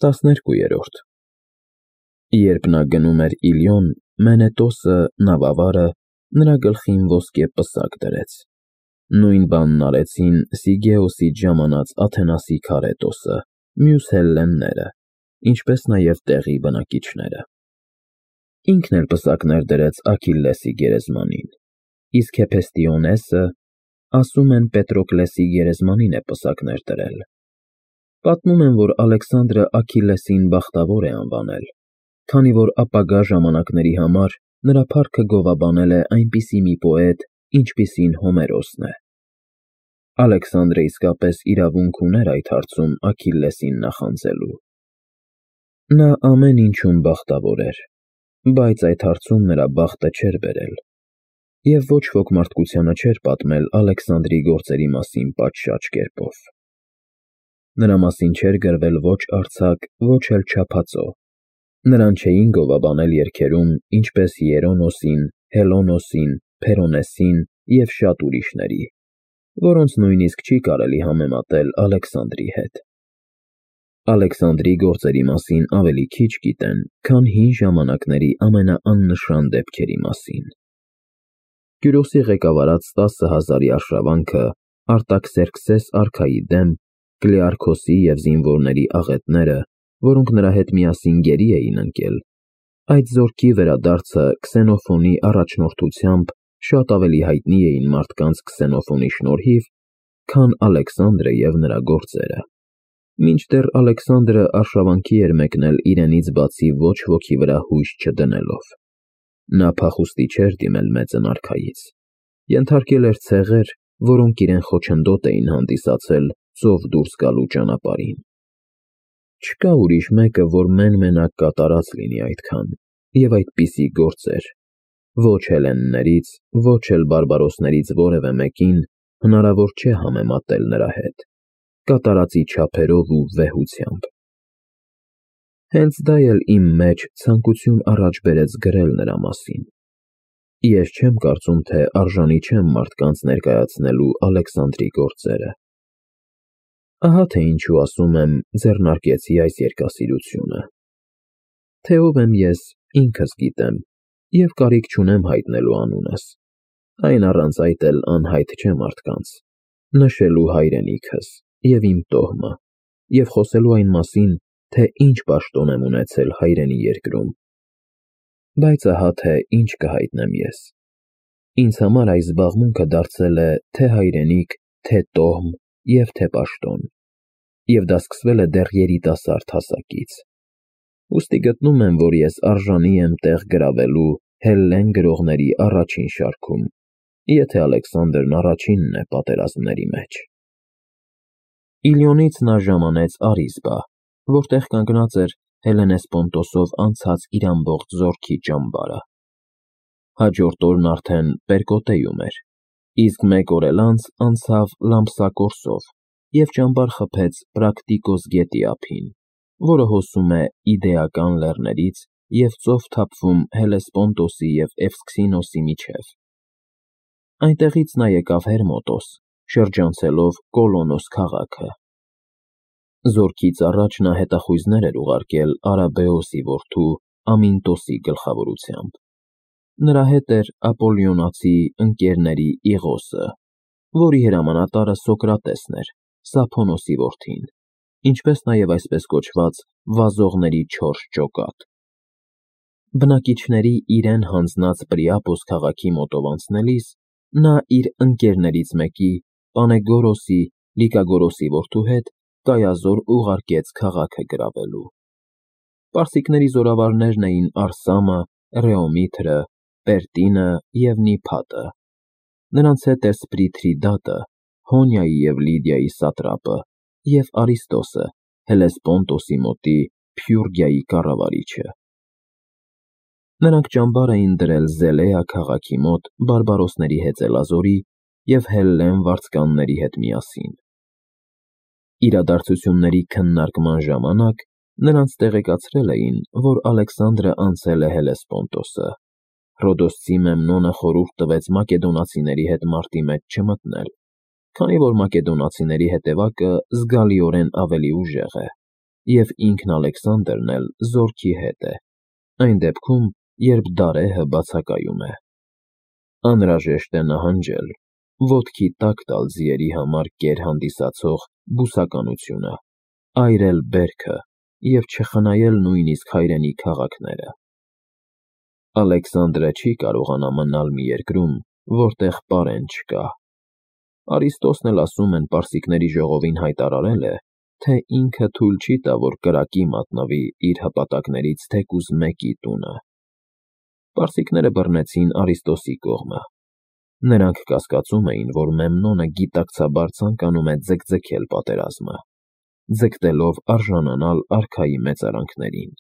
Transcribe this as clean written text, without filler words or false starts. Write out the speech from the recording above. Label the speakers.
Speaker 1: 12-րդ Երբ նա գնում էր Իլիոն, Մենետոսը, նավավարը, նրա գլխին ոսկե պսակ դրեց. նույն բանն արեցին Սիգեոսից ժամանած Աթենասի Քարետոսը, մյուս հելլենները, ինչպես նաև տեղի բնակիչները։ Ինքն էլ պսակներ դրեց Աքիլլեսի գերեզմանին, իսկ Հեփեստիոնեսը, ասում են, Պետրոկլեսի գերեզմանին է պսակներ դրել։ Պատմում են, որ Ալեքսանդրը Աքիլլեսին բախտավոր է անվանել, քանի որ ապագա ժամանակների համար նրա փառքը գովաբանել է այնպիսի մի պոետ, ինչպիսին Հոմերոսն է։ Ալեքսանդրը իսկապես իրավունք ուներ այդ հարցում Աքիլլեսին նախանձելու։ Նա ամեն ինչում բախտավոր էր, բայց այդ հարցում նրա բախտը չէր բերել, և ոչ ոք մարդկությանը չէր պատմել Ալեքսանդրի գործերի մասին պատշաճ կերպով։ Նրա մասին չէր գրվել ոչ արձակ, ոչ էլ չափածո։ Նրան չէին գովաբանել երգերում, ինչպես Հիերոնոսին, Հելոնոսին, Փերոնեսին և շատ ուրիշների, որոնց նույնիսկ չի կարելի համեմատել Ալեքսանդրի հետ։ Ալեքսանդրի գործերի մասին ավելի քիչ գիտեն, քան հին ժամանակների ամենաաննշան դեպքերի մասին։ Կյուրոսի ղեկավարած 10,000-ի արշավանքը Արտաքսերքսես արքայի դեմ, Կլեարքոսի և զինվորների աղետները, որոնք նրա հետ միասին գերի էին ընկել, այդ զորքի վերադարձը Քսենոֆոնի առաջնորդությամբ շատ ավելի հայտնի էին մարդկանց Քսենոֆոնի շնորհիվ, քան Ալեքսանդրը և նրա գործերը։ Մինչդեռ Ալեքսանդրը արշավանքի էր մեկնել իրենից բացի ոչ ոքի վրա հույս չդնելով։ Նա փախուստի չէր դիմել մեծն արքայից, ենթարկել էր ցեղեր, որոնք իրեն խոչընդոտ էին հանդիսացել ծով դուրս գալու ճանապարհին։ Չկա ուրիշ մեկը, որ մեն-մենակ կատարած լինի այդքան, և այդպիսի գործեր, ոչ հելլեններից, ոչ էլ բարբարոսներից որևէ մեկին հնարավոր չէ համեմատել նրա հետ, կատարածի չափերով ու վեհությամբ։ Հենց դա էլ իմ մեջ ցանկություն առաջ բերեց գրել նրա մասին։ Ես չեմ կարծում, թե արժանի չեմ մարդկանց ներկայացնելու Ալեքսանդրի գործերը։ Ահա թե ինչու ասում եմ ձեռնարկեցի այս երգասիրությունը։ Թե ով եմ ես, ինքս գիտեմ, և կարիք չունեմ հայտնելու անունս, այն առանց այդ էլ անհայտ չէ մարդկանց, նշելու հայրենիքս և իմ տոհմը, և խոսելու այն մասին, թե ինչ պաշտոն եմ ունեցել հայրենի երկրում։ Բայց ահա թե ինչ կհայտնեմ ես։ Ինձ համար այս զբաղմունքը դարձել է թե հայրենիք, թե տոհմ և թե պաշտոն, և դա սկսվել է դեռ երիտասարդ հասակից։ Ուստի գտնում եմ, որ ես արժանի եմ տեղ գրավելու հելլեն գրողների առաջին շարքում, եթե Ալեքսանդրն առաջինն է պատերազմների մեջ։ Իլիոնից նա ժամանեց Արիզբա, որտեղ կանգնած էր Հելլենեսպոնտոսով անցած իր ամբողջ զորքի ճամբարը։ Հաջորդ օրն արդեն Պերկոտեում էր, իսկ մեկ օր էլ անց անցավ Լամպսակորսով և ճամբար խփեց Պրակտիկոս գետի ափին, որը հոսում է Իդեական լեռներից և ծով թափվում Հելեսպոնտոսի և Էվսքսինոսի միջև։ Այնտեղից նա եկավ Հերմոտոս, շրջանցելով Կոլոնոս քաղաքը։ Զորքից առաջ նա հետախույզներ էր ուղարկել Արաբեոսի որդու Ամինտոսի գլխավորությամբ։ Նրա հետ էր ապոլլիոնացի ընկերների Իղոսը, որի հրամանատարը Սոկրատեսն էր, Սափոնոսի որդին, ինչպես նաև այսպես կոչված վազողների 4 ջոկատ։ Բնակիչների իրեն հանձնած Պրիապոս քաղաքի մոտով անցնելիս նա իր ընկերներից մեկի, Պանեգորոսի, Լիկագորոսի որդու հետ կայազոր ուղարկեց քաղաքը գրավելու։ Պարսիկների զորավարներն էին Արսամը, Ռեոմիթրը, Պերտինը և Նիփատը։ Նրանց հետ էր Սպրիթրիդատը, Հոնիայի և Լիդիայի սատրապը, և Արիստոսը, Հելեսպոնտոսի մոտի Փյուրգիայի կառավարիչը։ Նրանք ճամբար էին դրել Զելեա քաղաքի մոտ բարբարոսների հեծելազորի և հելլեն վարձկանների հետ միասին։ Իրադարձությունների քննարկման ժամանակ նրանց տեղեկացրել էին, որ Ալեքսանդրը անցել է Հելեսպոնտոսը։ Ռոդոսցի Մեմնոնը խորհուրդ տվեց մակեդոնացիների հետ մարտի մեջ չմտնել, քանի որ մակեդոնացիների հետևակը զգալիորեն ավելի ուժեղ է։ և ինքն Ալեքսանդրն էլ զորքի հետ է, այն դեպքում, երբ Դարեհը բացակայում է։ Անհրաժեշտ է նահանջել, ոտքի տակ տալ ձիերի համար կեր հանդիսացող բուսականությունը, այրել բերքը և չխնայել նույնիսկ հայրենի քաղաքները։ Ալեքսանդրը չի կարողանա մնալ մի երկրում, որտեղ պարեն չկա։ Արիստոսն էլ ասում են պարսիկների ժողովին հայտարարել է, թե ինքը թույլ չի տա, որ կրակի մատնվի իր հպատակներից թեկուզ մեկի տունը։ Պարսիկները բռնեցին Արիստոսի կողմը։ Նրանք կասկածում էին, որ Մեմնոնը գիտակցաբար ցանկանում է ձգձգել պատերազմը, ձգտելով արժանանալ արքայի մեծարանքներին։